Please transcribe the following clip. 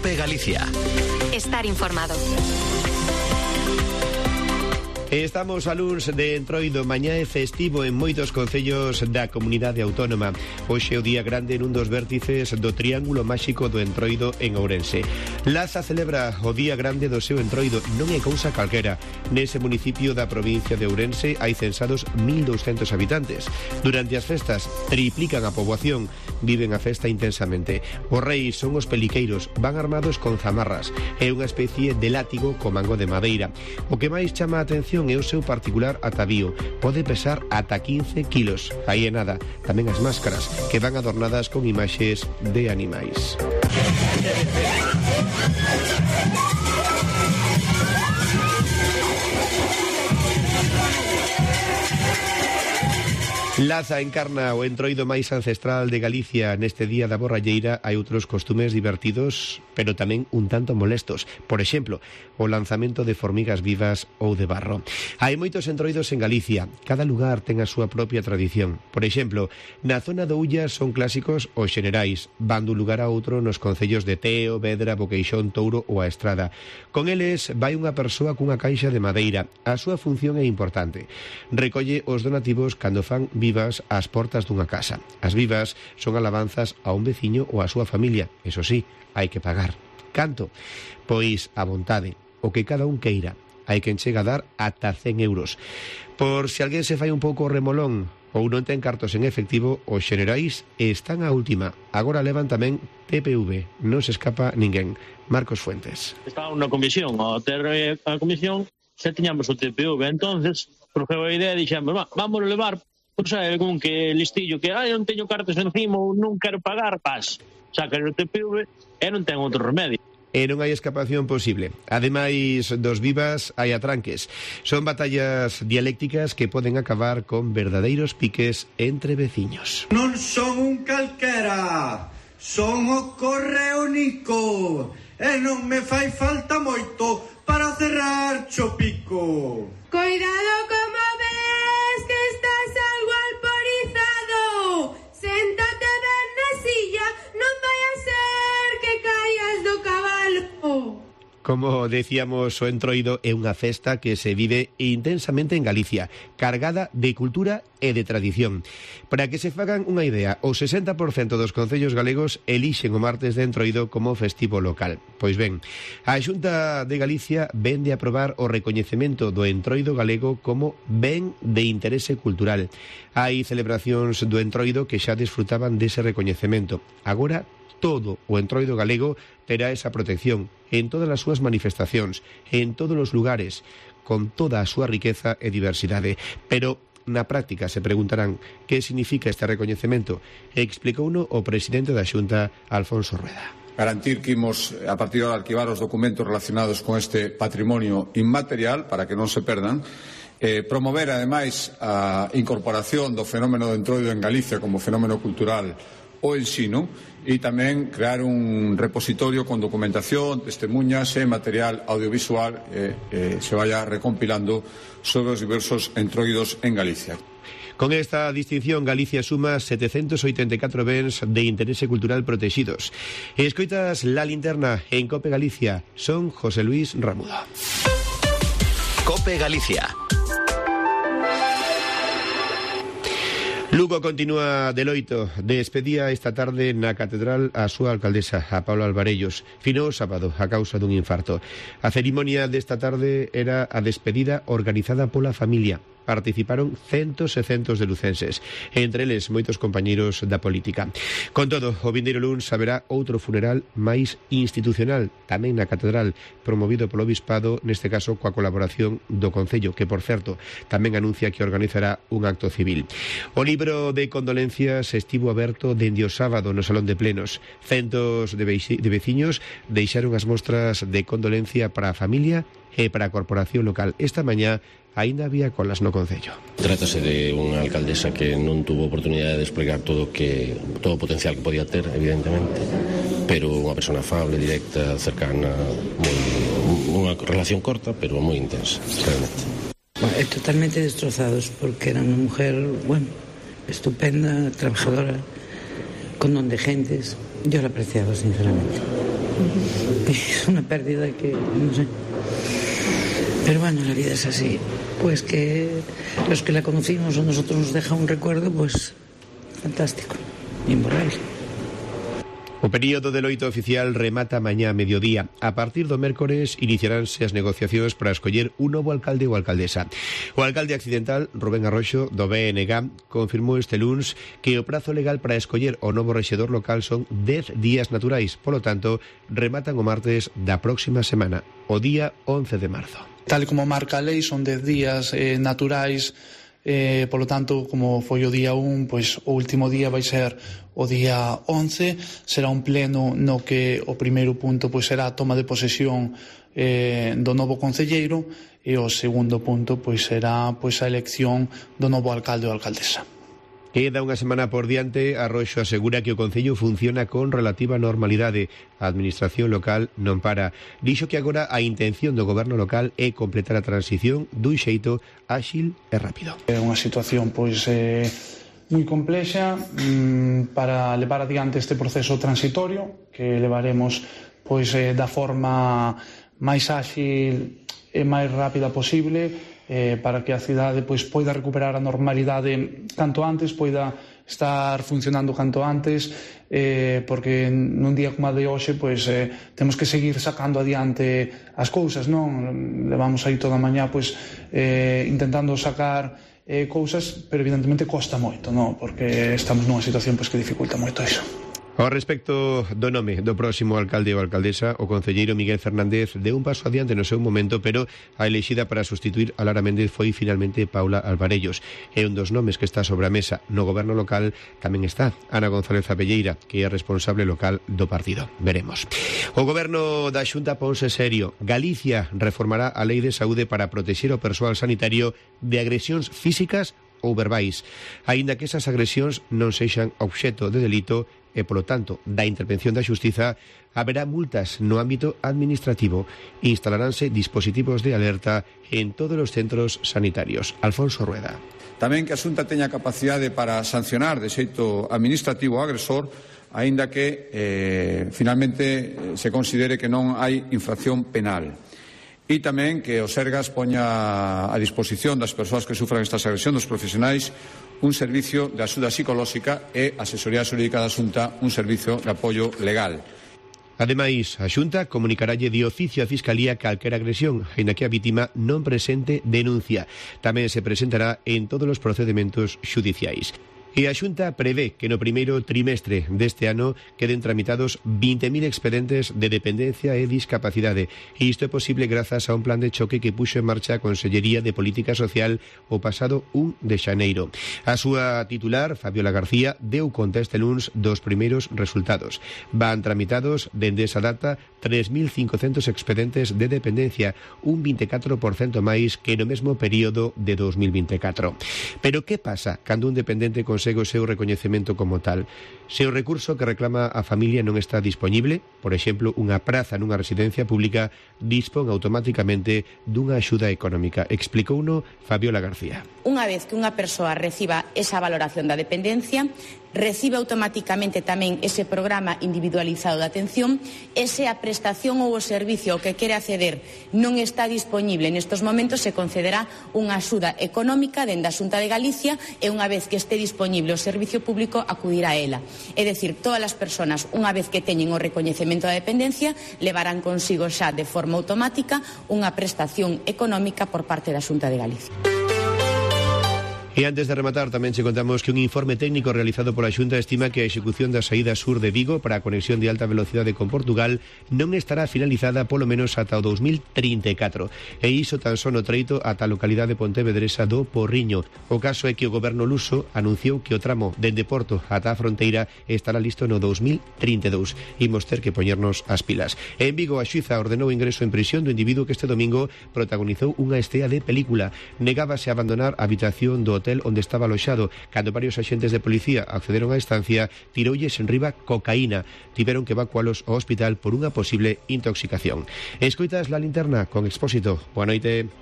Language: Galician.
COPE Galicia. Estar informado. Estamos a luns de Entroido, mañá é festivo en moitos concellos da comunidade autónoma. Hoxe é o día grande nun dos vértices do Triángulo Máxico do Entroido en Ourense. Laza celebra o día grande do seu Entroido, non é cousa calquera. Nese municipio da provincia de Ourense hai censados 1.200 habitantes. Durante as festas triplican a poboación, viven a festa intensamente. Os reis son os peliqueiros, van armados con zamarras. É unha especie de látigo co mango de madeira. O que máis chama a atención é o seu particular atavío. Pode pesar ata 15 kilos. Aí é nada. Tamén as máscaras, que van adornadas con imaxes de animais. Laza encarna o entroido máis ancestral de Galicia. Neste día da borralleira hai outros costumes divertidos, pero tamén un tanto molestos. Por exemplo, o lanzamento de formigas vivas ou de barro. Hai moitos entroidos en Galicia. Cada lugar ten a súa propia tradición. Por exemplo, na zona do Ulla son clásicos os xenerais. Van dun lugar a outro nos concellos de Teo, Vedra, Boqueixón, Touro ou a Estrada. Con eles vai unha persoa cunha caixa de madeira. A súa función é importante. Recolle os donativos cando fan vivas ás portas dunha casa. As vivas son alabanzas a un veciño ou a súa familia. Eso sí, hai que pagar. Canto? Pois a vontade, o que cada un queira. Hai quen chega a dar ata 100 euros. Por se alguén se fai un pouco remolón ou non ten cartos en efectivo, os xenerais están á última. Agora levan tamén PPV. Non se escapa ninguén. Marcos Fuentes. Estaba unha comisión, ao ter a comisión xa tiñamos o TPV, entonces surgiu a idea e dixemos, vamos levar. Pois é, con que listillo que non teño cartas encima ou non quero pagar, pas. Saca o TPV e non ten outro remedio. E non hai escapación posible. Ademais dos vivas, hai atranques. Son batallas dialécticas que poden acabar con verdadeiros piques entre veciños. Non son un calquera, son o Correónico, e non me fai falta moito para cerrar cho pico. Cuidado como ves que estás algo alporizado. Séntate ben na silla, non vai a ser que caias do cabalo. Como decíamos, o entroido é unha festa que se vive intensamente en Galicia, cargada de cultura e de tradición. Para que se fagan unha idea, o 60% dos concellos galegos elixen o martes de entroido como festivo local. Pois ben, a Xunta de Galicia vén de aprobar o recoñecemento do entroido galego como ben de interese cultural. Hai celebracións do entroido que xa desfrutaban dese recoñecemento. Agora, todo o entroido galego terá esa protección en todas as súas manifestacións, en todos os lugares, con toda a súa riqueza e diversidade. Pero na práctica se preguntarán que significa este recoñecemento. Explicouno o presidente da Xunta, Alfonso Rueda. Garantir que imos, a partir de arquivar os documentos relacionados con este patrimonio inmaterial para que non se perdan, promover ademais a incorporación do fenómeno do entroido en Galicia como fenómeno cultural o ensino e tamén crear un repositorio con documentación, testemunhas e material audiovisual se vaya recompilando sobre os diversos entroidos en Galicia. Con esta distinción, Galicia suma 784 bens de interese cultural protegidos. Escoitas La Linterna en COPE Galicia. Son José Luis Ramuda. COPE Galicia. Lugo continúa de loito. Despedía esta tarde na Catedral a súa alcaldesa, a Paula Alvarellos. Finou o sábado a causa dun infarto. A cerimonia desta tarde era a despedida organizada pola familia. Participaron centos e centos de lucenses, entre eles moitos compañeiros da política. Con todo, o vindeiro luns haberá outro funeral máis institucional, tamén na Catedral, promovido polo Obispado, neste caso coa colaboración do Concello, que, por certo, tamén anuncia que organizará un acto civil. O libro de condolencias estivo aberto dende o sábado no Salón de Plenos. Centos de veciños deixaron as mostras de condolencia para a familia e para a corporación local. Esta mañá aínda había colas no Concello. Trátase de unha alcaldesa que non tuvo oportunidade de desplegar todo o potencial que podía ter, evidentemente, pero unha persona afable, directa, cercana, unha relación corta, pero moi intensa, realmente. Totalmente destrozados, porque era unha mujer, estupenda, trabajadora, con don de gentes. Yo la apreciaba, sinceramente. Es una pérdida que, no sé. Pero bueno, la vida es así. Pues que los que la conocimos o nosotros nos deja un recuerdo, pues fantástico, imborrable. O período de loito oficial remata mañá a mediodía. A partir do mércores iniciaránse as negociacións para escoller un novo alcalde ou alcaldesa. O alcalde accidental, Rubén Arroxo, do BNG, confirmou este luns que o prazo legal para escoller o novo rexedor local son 10 días naturais. Polo tanto, rematan o martes da próxima semana, o día 11 de marzo. Tal como marca a lei, son 10 días naturais. Polo tanto, como foi o día 1, pois o último día vai ser o día 11, será un pleno no que o primeiro punto pois será a toma de posesión do novo concelleiro e o segundo punto pois será pois a elección do novo alcalde ou alcaldesa. Queda unha semana por diante. Arroxo asegura que o Concello funciona con relativa normalidade. A administración local non para. Dixo que agora a intención do goberno local é completar a transición dun xeito áxil e rápido. É unha situación pois moi complexa para levar adiante este proceso transitorio que levaremos pois da forma máis áxil e máis rápida posible, para que a cidade pois poida recuperar a normalidade canto antes, poida estar funcionando canto antes, porque nun día como a de hoxe pois temos que seguir sacando adiante as cousas, non? Levamos aí toda a mañá pois intentando sacar cousas, pero evidentemente costa moito, non? Porque estamos nunha situación pois que dificulta moito iso. Ao respecto do nome do próximo alcalde ou alcaldesa, o concelleiro Miguel Fernández deu un paso adiante no seu momento, pero a elexida para sustituir a Lara Méndez foi finalmente Paula Alvarellos. É un dos nomes que está sobre a mesa. No goberno local tamén está Ana González Abelleira, que é responsable local do partido. Veremos. O goberno da Xunta ponse serio. Galicia reformará a Lei de Saúde para protexer o persoal sanitario de agresións físicas ou verbais, aínda que esas agresións non sexan obxecto de delito e, polo tanto, da intervención da xustiza, haberá multas no ámbito administrativo. Instalaránse dispositivos de alerta en todos os centros sanitarios. Alfonso Rueda. Tamén que a Xunta teña capacidade para sancionar de xeito administrativo o agresor, aínda que finalmente se considere que non hai infracción penal. E tamén que o Sergas poña a disposición das persoas que sufran estas agresións dos profesionais un servicio de axuda psicolóxica e a asesoría xurídica da Xunta un servicio de apoio legal. Ademais, a Xunta comunicaralle de oficio a Fiscalía calquera agresión, aínda que a vítima non presente denuncia. Tamén se presentará en todos os procedementos xudiciais. E a Xunta prevé que no primeiro trimestre deste ano queden tramitados 20.000 expedientes de dependencia e discapacidade. E isto é posible grazas a un plan de choque que puxo en marcha a Consellería de Política Social o pasado 1 de xaneiro. A súa titular, Fabiola García, deu conta este luns dos primeiros resultados. Van tramitados dende esa data 3.500 expedientes de dependencia, un 24% máis que no mesmo período de 2024. Pero que pasa cando un dependente consegue o seu recoñecemento como tal? Se o recurso que reclama a familia non está dispoñible, por exemplo, unha praza nunha residencia pública, dispón automáticamente dunha axuda económica. Explicouno Fabiola García. Unha vez que unha persoa reciba esa valoración da dependencia, recibe automáticamente tamén ese programa individualizado de atención, e se a prestación ou o servicio ao que quere acceder non está dispoñible nestes momentos, se concederá unha axuda económica dende a Xunta de Galicia, e unha vez que este dispoñible o servicio público acudirá a ela. É dicir, todas as persoas, unha vez que teñen o recoñecemento da dependencia, levarán consigo xa de forma automática unha prestación económica por parte da Xunta de Galicia. E antes de rematar, tamén che contamos que un informe técnico realizado pola Xunta estima que a execución da saída sur de Vigo para a conexión de alta velocidade con Portugal non estará finalizada polo menos ata o 2034. E iso tan só no treito ata a localidade pontevedresa do Porriño. O caso é que o goberno luso anunciou que o tramo dende Porto ata a fronteira estará listo no 2032. Imos ter que poñernos as pilas. En Vigo, a xuíza ordenou o ingreso en prisión do individuo que este domingo protagonizou unha estea de película. Negábase a abandonar a habitación do hotel onde estaba aloxado. Cando varios axentes de policía accederon á estancia, tiroulles en riba cocaína. Tiveron que evacualos ao hospital por unha posible intoxicación. Escoitas La Linterna con Expósito. Boa noite.